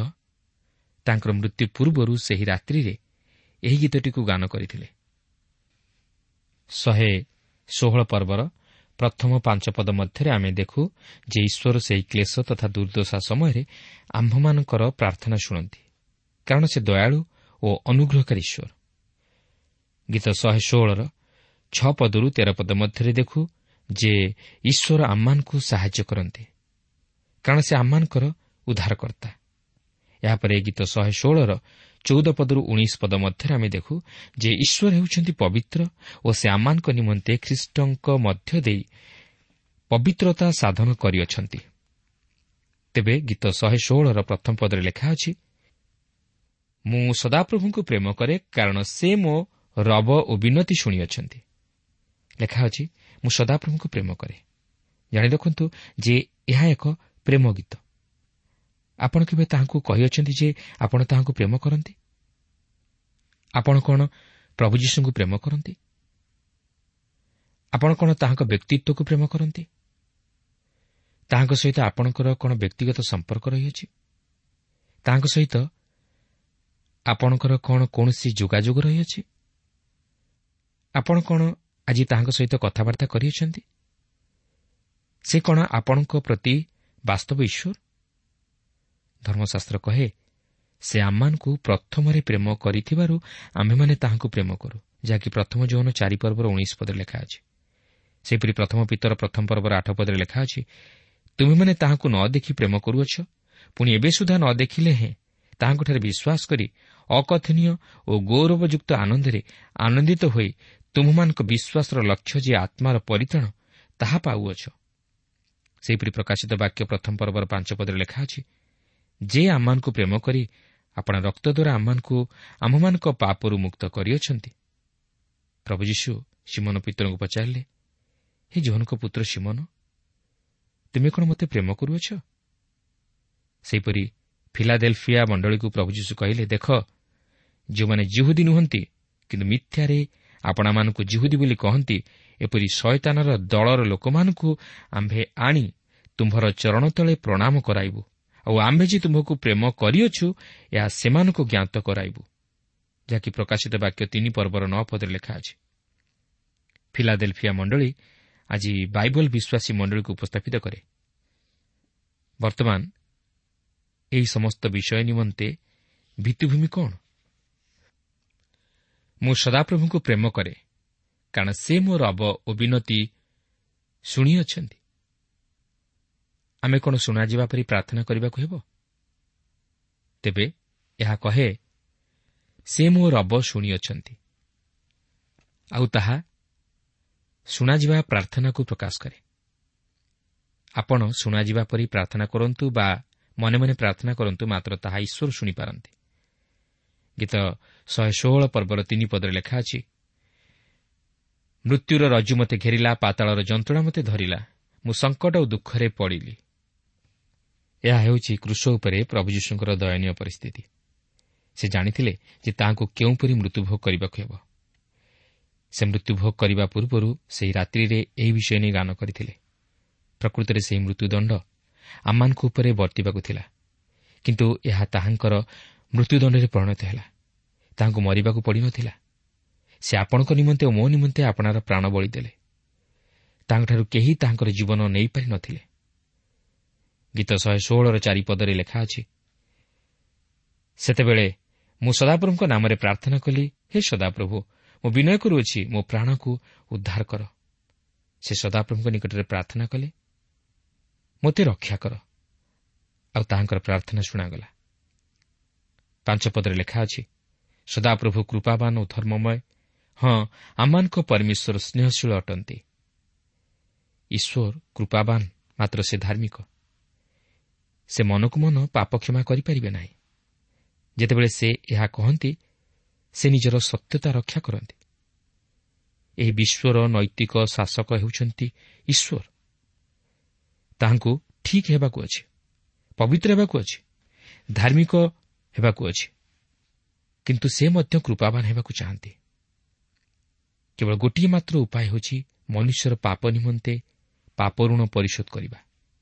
ତାଙ୍କର ମୃତ୍ୟୁ ପୂର୍ବରୁ ସେହି ରାତ୍ରିରେ ଏହି ଗୀତଟିକୁ ଗାନ କରିଥିଲେ। ଶହେ ଷୋହଳ ପର୍ବର ପ୍ରଥମ ପାଞ୍ଚ ପଦ ମଧ୍ୟରେ ଆମେ ଦେଖୁ ଯେ ଈଶ୍ୱର ସେହି କ୍ଲେଶ ତଥା ଦୁର୍ଦ୍ଦଶା ସମୟରେ ଆମ୍ଭମାନଙ୍କର ପ୍ରାର୍ଥନା ଶୁଣନ୍ତି, କାରଣ ସେ ଦୟାଳୁ ଓ ଅନୁଗ୍ରହକାରୀ ଈଶ୍ୱର। ଗୀତ ଶହେ ଷୋହଳର ଛଅ ପଦରୁ ତେର ପଦ ମଧ୍ୟରେ ଦେଖୁ ଯେ ଈଶ୍ୱର ଆମମାନଙ୍କୁ ସାହାଯ୍ୟ କରନ୍ତି, କାରଣ ସେ ଆମମାନଙ୍କର ଉଦ୍ଧାରକର୍ତ୍ତା। ଏହାପରେ ଗୀତ ଶହେ ଷୋହଳର ଚଉଦ ପଦରୁ ଉଣେଇଶ ପଦ ମଧ୍ୟରେ ଆମେ ଦେଖୁ ଯେ ଈଶ୍ୱର ହେଉଛନ୍ତି ପବିତ୍ର ଓ ସେ ଆମମାନଙ୍କ ନିମନ୍ତେ ଖ୍ରୀଷ୍ଟଙ୍କ ମଧ୍ୟ ଦେଇ ପବିତ୍ରତା ସାଧନ କରିଅଛନ୍ତି। ତେବେ ଗୀତ ଶହେ ଷୋହଳର ପ୍ରଥମ ପଦରେ ଲେଖା ଅଛି, ମୁଁ ସଦାପ୍ରଭୁଙ୍କୁ ପ୍ରେମ କରେ, କାରଣ ସେ ମୋ ରବ ଓ ବିନତି ଶୁଣିଅଛନ୍ତି। ଲେଖା ଅଛି, ମୁଁ ସଦାପ୍ରଭୁଙ୍କୁ ପ୍ରେମ କରେ। ଜାଣି ରଖନ୍ତୁ ଯେ ଏହା ଏକ ପ୍ରେମ ଗୀତ। ଆପଣ କେବେ ତାହାଙ୍କୁ କହିଅଛନ୍ତି ଯେ ଆପଣ ତାହାଙ୍କୁ ପ୍ରେମ କରନ୍ତି? ଆପଣ କ'ଣ ପ୍ରଭୁ ଯୀଶୁଙ୍କୁ ପ୍ରେମ କରନ୍ତି? ଆପଣ କ'ଣ ତାହାଙ୍କ ବ୍ୟକ୍ତିତ୍ୱକୁ ପ୍ରେମ କରନ୍ତି? ତାହାଙ୍କ ସହିତ ଆପଣଙ୍କର କ'ଣ ବ୍ୟକ୍ତିଗତ ସମ୍ପର୍କ ରହିଅଛି? ତାହାଙ୍କ ସହିତ ଆପଣଙ୍କର କ'ଣ କୌଣସି ଯୋଗାଯୋଗ ରହିଅଛି? ଆପଣ କ'ଣ ଆଜି ତାହାଙ୍କ ସହିତ କଥାବାର୍ତ୍ତା କରିଅଛନ୍ତି? ସେ କ'ଣ ଆପଣଙ୍କ ପ୍ରତି ବାସ୍ତବ ଈଶ୍ୱର? ଧର୍ମଶାସ୍ତ୍ର କହେ, ସେ ଆମମାନଙ୍କୁ ପ୍ରଥମରେ ପ୍ରେମ କରିଥିବାରୁ ଆମ୍ଭେମାନେ ତାହାଙ୍କୁ ପ୍ରେମ କରୁ, ଯାହାକି ପ୍ରଥମ ଯୌନ ଚାରି ପର୍ବର ଉଣେଇଶ ପଦରେ ଲେଖା ଅଛି। ସେହିପରି ପ୍ରଥମ ପିତର ପ୍ରଥମ ପର୍ବର ଆଠ ପଦରେ ଲେଖା ଅଛି, ତୁମେମାନେ ତାହାଙ୍କୁ ନ ଦେଖି ପ୍ରେମ କରୁଅଛ, ପୁଣି ଏବେ ସୁଦ୍ଧା ନ ଦେଖିଲେ ହେଁ ତାହାଙ୍କଠାରେ ବିଶ୍ୱାସ କରି ଅକଥନୀୟ ଓ ଗୌରବଯୁକ୍ତ ଆନନ୍ଦରେ ଆନନ୍ଦିତ ହୋଇ ତୁମମାନଙ୍କ ବିଶ୍ୱାସର ଲକ୍ଷ୍ୟ ଯେ ଆତ୍ମାର ପରିତ୍ରାଣ, ତାହା ପାଉଅଛ। ସେହିପରି ପ୍ରକାଶିତ ବାକ୍ୟ ପ୍ରଥମ ପର୍ବର ପାଞ୍ଚ ପଦରେ ଲେଖା ଅଛି, ଯେ ଆମମାନଙ୍କୁ ପ୍ରେମ କରି ଆପଣା ରକ୍ତ ଦ୍ୱାରା ଆମମାନଙ୍କୁ ଆମ୍ଭମାନଙ୍କ ପାପରୁ ମୁକ୍ତ କରିଅଛନ୍ତି। ପ୍ରଭୁ ଯୀଶୁ ଶିମୋନ ପିତରଙ୍କୁ ପଚାରିଲେ, ହେ ଯୋହନଙ୍କ ପୁତ୍ର ଶିମୋନ, ତୁମେ କ'ଣ ମୋତେ ପ୍ରେମ କରୁଅଛ? ସେହିପରି ଫିଲାଡେଲଫିଆ ମଣ୍ଡଳୀକୁ ପ୍ରଭୁ ଯୀଶୁ କହିଲେ, ଦେଖ, ଯେଉଁମାନେ ଜିହୁଦୀ ନୁହନ୍ତି କିନ୍ତୁ ମିଥ୍ୟାରେ ଆପଣମାନଙ୍କୁ ଜିହୁଦୀ ବୋଲି କହନ୍ତି, ଏପରି ଶୟତାନର ଦଳର ଲୋକମାନଙ୍କୁ ଆମ୍ଭେ ଆଣି ତୁମ୍ଭର ଚରଣ ତଳେ ପ୍ରଣାମ କରାଇବୁ, ଆଉ ଆମ୍ଭେ ଯେ ତୁମ୍ଭକୁ ପ୍ରେମ କରିଅଛୁ ଏହା ସେମାନଙ୍କୁ ଜ୍ଞାତ କରାଇବୁ। ଯାହାକି ପ୍ରକାଶିତ ବାକ୍ୟ ତିନି ପର୍ବର ନଅ ପଦରେ ଲେଖା ଅଛି। ଫିଲାଡେଲଫିଆ ମଣ୍ଡଳୀ ଆଜି ବାଇବଲ ବିଶ୍ୱାସୀ ମଣ୍ଡଳୀକୁ ଉପସ୍ଥାପିତ କରେ। ବର୍ତ୍ତମାନ ଏହି ସମସ୍ତ ବିଷୟ ନିମନ୍ତେ ଭିତ୍ତିଭୂମି କ'ଣ? ମୁଁ ସଦାପ୍ରଭୁଙ୍କୁ ପ୍ରେମ କରେ, କାରଣ ସେ ମୋ ରବ ଓ ବିନତି ଶୁଣିଅଛନ୍ତି। ଆମେ କ'ଣ ଶୁଣାଯିବା ପରି ପ୍ରାର୍ଥନା କରିବାକୁ ହେବ? ତେବେ ଏହା କହେ, ସେ ମୋ ରବ ଶୁଣିଅଛନ୍ତି, ଆଉ ତାହା ଶୁଣାଯିବା ପ୍ରାର୍ଥନାକୁ ପ୍ରକାଶ କରେ। ଆପଣ ଶୁଣାଯିବା ପରି ପ୍ରାର୍ଥନା କରନ୍ତୁ ବା ମନେ ମନେ ପ୍ରାର୍ଥନା କରନ୍ତୁ, ମାତ୍ର ତାହା ଈଶ୍ୱର ଶୁଣିପାରନ୍ତି। ଗୀତ ଶହେ ଷୋହଳ ପର୍ବର ତିନି ପଦରେ ଲେଖା ଅଛି, ମୃତ୍ୟୁର ରଜ୍ଜୁ ମୋତେ ଘେରିଲା, ପାତାଳର ଯନ୍ତ୍ରଣା ମୋତେ ଧରିଲା, ମୁଁ ସଙ୍କଟ ଓ ଦୁଃଖରେ ପଡ଼ିଲି। ଏହା ହେଉଛି କ୍ରୁଶ ଉପରେ ପ୍ରଭୁ ଯୀଶୁଙ୍କର ଦୟନୀୟ ପରିସ୍ଥିତି। ସେ ଜାଣିଥିଲେ ଯେ ତାହାଙ୍କୁ କେଉଁପରି ମୃତ୍ୟୁଭୋଗ କରିବାକୁ ହେବ। ସେ ମୃତ୍ୟୁଭୋଗ କରିବା ପୂର୍ବରୁ ସେହି ରାତ୍ରିରେ ଏହି ବିଷୟ ନେଇ ଗାନ କରିଥିଲେ। ପ୍ରକୃତରେ ସେହି ମୃତ୍ୟୁଦଣ୍ଡ ଆମମାନଙ୍କ ଉପରେ ବର୍ତ୍ତିବାକୁ ଥିଲା, କିନ୍ତୁ ଏହା ତାହାଙ୍କର ମୃତ୍ୟୁଦଣ୍ଡରେ ପରିଣତ ହେଲା। ତାହାଙ୍କୁ ମରିବାକୁ ପଡ଼ିନଥିଲା। ସେ ଆପଣଙ୍କ ନିମନ୍ତେ ଓ ମୋ ନିମନ୍ତେ ଆପଣାର ପ୍ରାଣ ବଳି ଦେଲେ। ତାଙ୍କଠାରୁ କେହି ତାହାଙ୍କର ଜୀବନ ନେଇପାରିନଥିଲେ। ଗୀତ ଶହେ ଷୋହଳର ଚାରିପଦରେ ଲେଖା ଅଛି, ସେତେବେଳେ ମୁଁ ସଦାପ୍ରଭୁଙ୍କ ନାମରେ ପ୍ରାର୍ଥନା କଲି, ହେ ସଦାପ୍ରଭୁ, ମୁଁ ବିନୟ କରୁଅଛି, ମୋ ପ୍ରାଣକୁ ଉଦ୍ଧାର କର। ସେ ସଦାପ୍ରଭୁଙ୍କ ନିକଟରେ ପ୍ରାର୍ଥନା କଲେ, ମୋତେ ରକ୍ଷା କର, ଆଉ ତାହାଙ୍କର ପ୍ରାର୍ଥନା ଶୁଣାଗଲା। ପାଞ୍ଚ ପଦରେ ଲେଖା ଅଛି, ସଦାପ୍ରଭୁ କୃପାବାନ ଓ ଧର୍ମମୟ, ହଁ, ଆମମାନଙ୍କ ପରମେଶ୍ୱର ସ୍ନେହଶୀଳ ଅଟନ୍ତି। ଈଶ୍ୱର କୃପାବାନ, ମାତ୍ର ସେ ଧାର୍ମିକ। ସେ ମନକୁ ମନ ପାପ କ୍ଷମା କରିପାରିବେ ନାହିଁ। ଯେତେବେଳେ ସେ ଏହା କହନ୍ତି, ସେ ନିଜର ସତ୍ୟତା ରକ୍ଷା କରନ୍ତି। ଏହି ବିଶ୍ୱର ନୈତିକ ଶାସକ ହେଉଛନ୍ତି ଈଶ୍ୱର। ତାହାଙ୍କୁ ଠିକ୍ ହେବାକୁ ଅଛି, ପବିତ୍ର ହେବାକୁ ଅଛି, ଧାର୍ମିକ ହେବାକୁ ଅଛି, କିନ୍ତୁ ସେ ମଧ୍ୟ କୃପାବାନ ହେବାକୁ ଚାହାନ୍ତି। କେବଳ ଗୋଟିଏ ମାତ୍ର ଉପାୟ ହେଉଛି ମନୁଷ୍ୟର ପାପ ନିମନ୍ତେ ପାପ ଋଣ ପରିଶୋଧ କରିବା।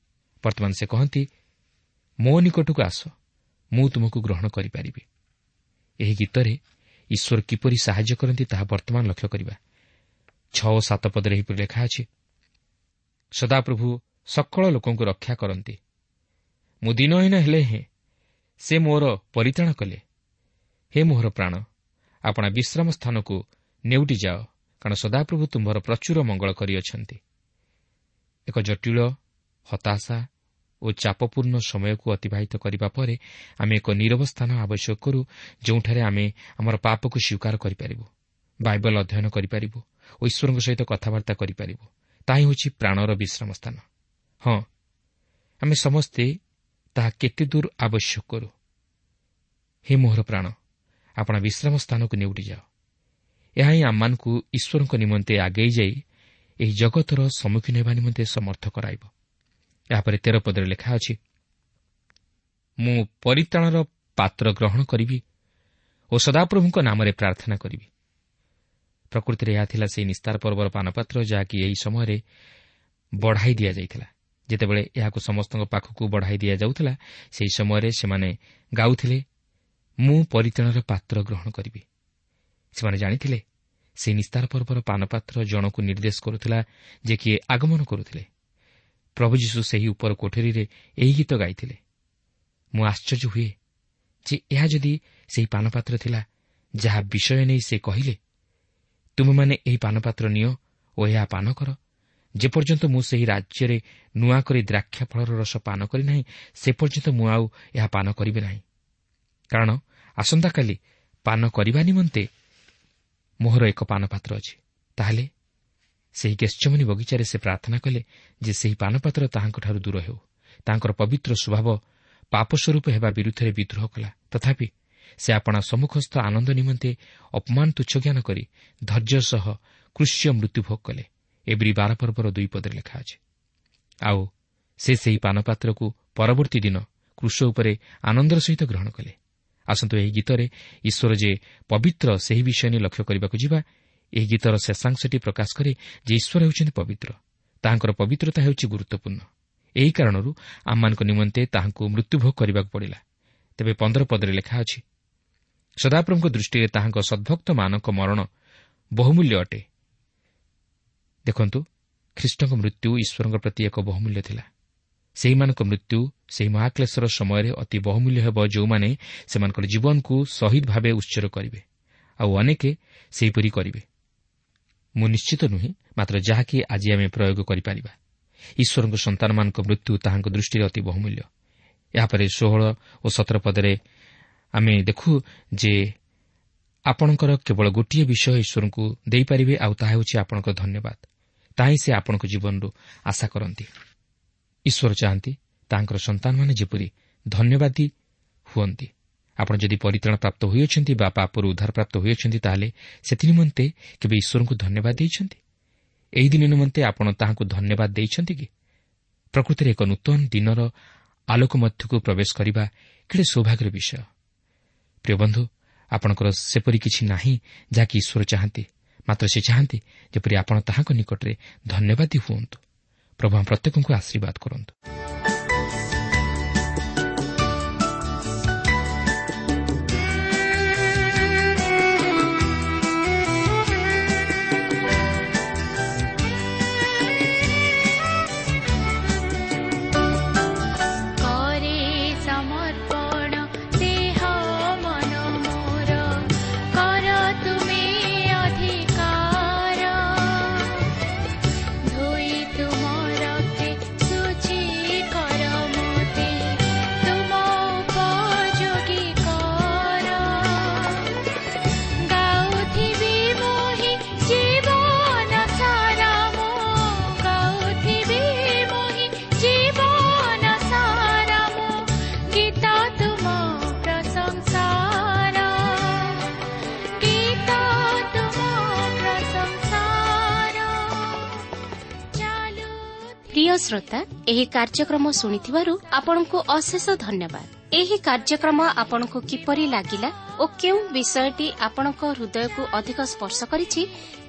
ବର୍ତ୍ତମାନ ସେ କହନ୍ତି, ମୋ ନିକଟକୁ ଆସ, ମୁଁ ତୁମକୁ ଗ୍ରହଣ କରିପାରିବି। ଏହି ଗୀତରେ ଈଶ୍ୱର କିପରି ସାହାଯ୍ୟ କରନ୍ତି ତାହା ବର୍ତ୍ତମାନ ଲକ୍ଷ୍ୟ କରିବା। ଛଅ ଓ ସାତ ପଦରେ ଏହିପରି ଲେଖା ଅଛି, ସଦାପ୍ରଭୁ ସକଳ ଲୋକଙ୍କୁ ରକ୍ଷା କରନ୍ତି। ମୁଁ ଦିନହୀନ ହେଲେ ହେଁ ସେ ମୋର ପରିତ୍ରାଣ କଲେ। ହେ ମୋହର ପ୍ରାଣ, ଆପଣା ବିଶ୍ରାମ ସ୍ଥାନକୁ ନେଉଟି ଯାଅ, କାରଣ ସଦାପ୍ରଭୁ ତୁମ୍ଭର ପ୍ରଚୁର ମଙ୍ଗଳ କରିଅଛନ୍ତି। ଏକ ଜଟିଳ, ହତାଶା ଓ ଚାପପୂର୍ଣ୍ଣ ସମୟକୁ ଅତିବାହିତ କରିବା ପରେ ଆମେ ଏକ ନିରବ ସ୍ଥାନ ଆବଶ୍ୟକ କରୁ, ଯେଉଁଠାରେ ଆମେ ଆମର ପାପକୁ ସ୍ୱୀକାର କରିପାରିବୁ, ବାଇବଲ ଅଧ୍ୟୟନ କରିପାରିବୁ ଓ ଈଶ୍ୱରଙ୍କ ସହିତ କଥାବାର୍ତ୍ତା କରିପାରିବୁ। ତାହା ହେଉଛି ପ୍ରାଣର ବିଶ୍ରାମ ସ୍ଥାନ। ହଁ, ଆମେ ସମସ୍ତେ ତାହା କେତେ ଦୂର ଆବଶ୍ୟକ କରୁ। ହେ ମୋହର ପ୍ରାଣ, ଆପଣା ବିଶ୍ରାମ ସ୍ଥାନକୁ ନେଉଟି ଯାଅ। ଏହା ହିଁ ଆମମାନଙ୍କୁ ଈଶ୍ୱରଙ୍କ ନିମନ୍ତେ ଆଗେଇ ଯାଇ ଏହି ଜଗତର ସମ୍ମୁଖୀନ ହେବା ନିମନ୍ତେ ସମର୍ଥ କରାଇବ। ଏହାପରେ ତେର ପଦରେ ଲେଖା ଅଛି, ମୁଁ ପରିତ୍ରାଣର ପାତ୍ର ଗ୍ରହଣ କରିବି ଓ ସଦାପ୍ରଭୁଙ୍କ ନାମରେ ପ୍ରାର୍ଥନା କରିବି। ପ୍ରକୃତିରେ ଏହା ଥିଲା ସେହି ନିସ୍ତାର ପର୍ବର ପାନପାତ୍ର, ଯାହାକି ଏହି ସମୟରେ ବଢ଼ାଇ ଦିଆଯାଇଥିଲା। ଯେତେବେଳେ ଏହାକୁ ସମସ୍ତଙ୍କ ପାଖକୁ ବଢ଼ାଇ ଦିଆଯାଉଥିଲା, ସେହି ସମୟରେ ସେମାନେ ଗାଉଥିଲେ, ମୁଁ ପରିତ୍ରାଣର ପାତ୍ର ଗ୍ରହଣ କରିବି। ସେମାନେ ଜାଣିଥିଲେ ସେହି ନିସ୍ତାର ପର୍ବର ପାନପାତ୍ର ଜଣକୁ ନିର୍ଦ୍ଦେଶ କରୁଥିଲା ଯେ କିଏ ଆଗମନ କରୁଥିଲେ। ପ୍ରଭୁ ଯୀଶୁ ସେହି ଉପର କୋଠରୀରେ ଏହି ଗୀତ ଗାଇଥିଲେ। ମୁଁ ଆଶ୍ଚର୍ଯ୍ୟ ହୁଏ ଯେ ଏହା ଯଦି ସେହି ପାନପାତ୍ର ଥିଲା ଯାହା ବିଷୟ ନେଇ ସେ କହିଲେ, ତୁମେମାନେ ଏହି ପାନପାତ୍ର ନିଅ ଓ ଏହା ପାନ କର, ଯେପର୍ଯ୍ୟନ୍ତ ମୁଁ ସେହି ରାଜ୍ୟରେ ନୂଆ କରି ଦ୍ରାକ୍ଷା ଫଳର ରସ ପାନ କରିନାହିଁ, ସେ ପର୍ଯ୍ୟନ୍ତ ମୁଁ ଆଉ ଏହା ପାନ କରିବି ନାହିଁ। କାରଣ ଆସନ୍ତାକାଲି ପାନ କରିବା ନିମନ୍ତେ ମୋହର ଏକ ପାନପାତ୍ର ଅଛି। ତାହେଲେ ସେହି ଗେତ୍ସେମନୀ ବଗିଚାରେ ସେ ପ୍ରାର୍ଥନା କଲେ ଯେ ସେହି ପାନପାତ୍ର ତାହାଙ୍କଠାରୁ ଦୂର ହେଉ। ତାଙ୍କର ପବିତ୍ର ସ୍ୱଭାବ ପାପ ସ୍ୱରୂପ ହେବା ବିରୁଦ୍ଧରେ ବିଦ୍ରୋହ କଲା। ତଥାପି ସେ ଆପଣା ସମ୍ମୁଖସ୍ଥ ଆନନ୍ଦ ନିମନ୍ତେ ଅପମାନ ତୁଚ୍ଛ ଜ୍ଞାନ କରି ଧୈର୍ଯ୍ୟ ସହ କୃଷ୍ୟ ମୃତ୍ୟୁଭୋଗ କଲେ। ଏବ୍ରୀ ବାର ପର୍ବର ଦୁଇ ପଦରେ ଲେଖା ଅଛି। ଆଉ ସେ ସେହି ପାନପାତ୍ରକୁ ପରବର୍ତ୍ତୀ ଦିନ କ୍ରୁଶ ଉପରେ ଆନନ୍ଦର ସହିତ ଗ୍ରହଣ କଲେ। ଆସନ୍ତୁ ଏହି ଗୀତରେ ଈଶ୍ୱର ଯେ ପବିତ୍ର ସେହି ବିଷୟ ନେଇ ଲକ୍ଷ୍ୟ କରିବାକୁ ଯିବା। ଏହି ଗୀତର ଶେଷାଂଶଟି ପ୍ରକାଶ କରେ ଯେ ଈଶ୍ୱର ହେଉଛନ୍ତି ପବିତ୍ର। ତାହାଙ୍କର ପବିତ୍ରତା ହେଉଛି ଗୁରୁତ୍ୱପୂର୍ଣ୍ଣ। ଏହି କାରଣରୁ ଆମମାନଙ୍କ ନିମନ୍ତେ ତାହାଙ୍କୁ ମୃତ୍ୟୁଭୋଗ କରିବାକୁ ପଡ଼ିଲା। ତେବେ ପନ୍ଦର ପଦରେ ଲେଖା ଅଛି, ସଦାପ୍ରଭୁଙ୍କ ଦୃଷ୍ଟିରେ ତାହାଙ୍କ ସଦ୍ଭକ୍ତମାନଙ୍କ ମରଣ ବହୁମୂଲ୍ୟ ଅଟେ। ଦେଖନ୍ତୁ, ଖ୍ରୀଷ୍ଟଙ୍କ ମୃତ୍ୟୁ ଈଶ୍ୱରଙ୍କ ପ୍ରତି ଏକ ବହୁମୂଲ୍ୟ ଥିଲା। ସେହିମାନଙ୍କ ମୃତ୍ୟୁ ସେହି ମହାକ୍ଲେଶର ସମୟରେ ଅତି ବହୁମୂଲ୍ୟ ହେବ, ଯେଉଁମାନେ ସେମାନଙ୍କର ଜୀବନକୁ ଶହୀଦ ଭାବେ ଉତ୍ସର୍ଗ କରିବେ, ଆଉ ଅନେକେ ସେହିପରି କରିବେ। ମୁଁ ନିଶ୍ଚିତ ନୁହେଁ, ମାତ୍ର ଯାହାକି ଆଜି ଆମେ ପ୍ରୟୋଗ କରିପାରିବା। ଈଶ୍ୱରଙ୍କ ସନ୍ତାନମାନଙ୍କ ମୃତ୍ୟୁ ତାହାଙ୍କ ଦୃଷ୍ଟିରେ ଅତି ବହୁମୂଲ୍ୟ। ଏହାପରେ ଷୋହଳ ଓ ସତର ପଦରେ ଆମେ ଦେଖୁ ଯେ ଆପଣଙ୍କର କେବଳ ଗୋଟିଏ ବିଷୟ ଈଶ୍ୱରଙ୍କୁ ଦେଇପାରିବେ, ଆଉ ତାହା ହେଉଛି ଆପଣଙ୍କ ଧନ୍ୟବାଦ। ତାହା ହିଁ ସେ ଆପଣଙ୍କ ଜୀବନରୁ ଆଶା କରନ୍ତି। ଈଶ୍ୱର ଚାହାନ୍ତି ତାହାଙ୍କର ସନ୍ତାନମାନେ ଯେପରି ଧନ୍ୟବାଦୀ ହୁଅନ୍ତି। ଆପଣ ଯଦି ପରିତ୍ରାଣ ପ୍ରାପ୍ତ ହୋଇଅଛନ୍ତି ବା ପାପରୁ ଉଦ୍ଧାର ପ୍ରାପ୍ତ ହୋଇଅଛନ୍ତି, ତାହେଲେ ସେଥିନିମନ୍ତେ କେବେ ଈଶ୍ୱରଙ୍କୁ ଧନ୍ୟବାଦ ଦେଇଛନ୍ତି? ଏହି ଦିନ ନିମନ୍ତେ ଆପଣ ତାହାଙ୍କୁ ଧନ୍ୟବାଦ ଦେଇଛନ୍ତି କି? ପ୍ରକୃତିରେ ଏକ ନୂତନ ଦିନର ଆଲୋକ ମଧ୍ୟକୁ ପ୍ରବେଶ କରିବା କେଡ଼େ ସୌଭାଗ୍ୟର ବିଷୟ। ପ୍ରିୟ ବନ୍ଧୁ, ଆପଣଙ୍କର ସେପରି କିଛି ନାହିଁ ଯାହାକି ଈଶ୍ୱର ଚାହାନ୍ତି, ମାତ୍ର ସେ ଚାହାନ୍ତି ଯେପରି ଆପଣ ତାହାଙ୍କ ନିକଟରେ ଧନ୍ୟବାଦୀ ହୁଅନ୍ତୁ। ପ୍ରଭୁ ଆମ ପ୍ରତ୍ୟେକଙ୍କୁ ଆଶୀର୍ବାଦ କରନ୍ତୁ। ପ୍ରିୟ ଶ୍ରୋତା, ଏହି କାର୍ଯ୍ୟକ୍ରମ ଶୁଣିଥିବାରୁ ଆପଣଙ୍କୁ ଅଶେଷ ଧନ୍ୟବାଦ। ଏହି କାର୍ଯ୍ୟକ୍ରମ ଆପଣଙ୍କୁ କିପରି ଲାଗିଲା ଓ କେଉଁ ବିଷୟଟି ଆପଣଙ୍କ ହୃଦୟକୁ ଅଧିକ ସ୍ପର୍ଶ କରିଛି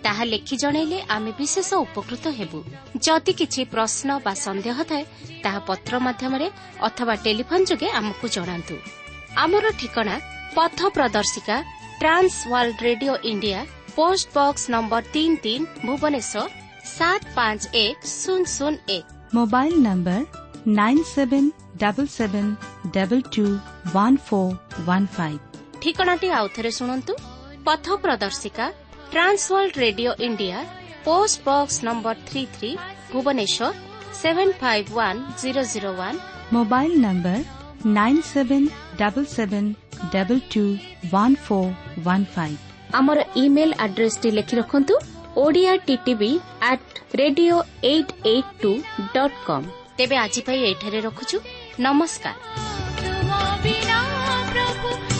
ତାହା ଲେଖି ଜଣାଇଲେ ଆମେ ବିଶେଷ ଉପକୃତ ହେବୁ। ଯଦି କିଛି ପ୍ରଶ୍ନ ବା ସନ୍ଦେହ ଥାଏ, ତାହା ପତ୍ର ମାଧ୍ୟମରେ ଅଥବା ଟେଲିଫୋନ୍ ଯୋଗେ ଆମକୁ ଜଣାନ୍ତୁ। ଆମର ଠିକଣା ପଥ ପ୍ରଦର୍ଶିକା, Trans World Radio India, post box number ତିନି ତିନି, ଭୁବନେଶ୍ୱର ସାତ ପାଞ୍ଚ ଏକ ଶୂନ ଶୂନ ଏକ। Mobile number nine seven double seven double two one four one five. ଠିକଣାଟି ଆଉଥରେ ଶୁଣନ୍ତୁ। ପଥ ପ୍ରଦର୍ଶିକା, Trans World Radio India, post box number three three, Bhubaneswar seven five one zero zero one. Mobile number nine seven double seven double two one four one five. ଆମର email ଆଡ୍ରେସଟି ଲେଖି ରଖନ୍ତୁ, Odia TTV at radio eight eight two dot com. ତେବେ ଆଜି ପାଇଁ ଏଠାରେ ରଖୁଛୁ। ନମସ୍କାର। ତୁମ ବିନା ପ୍ରଭୁ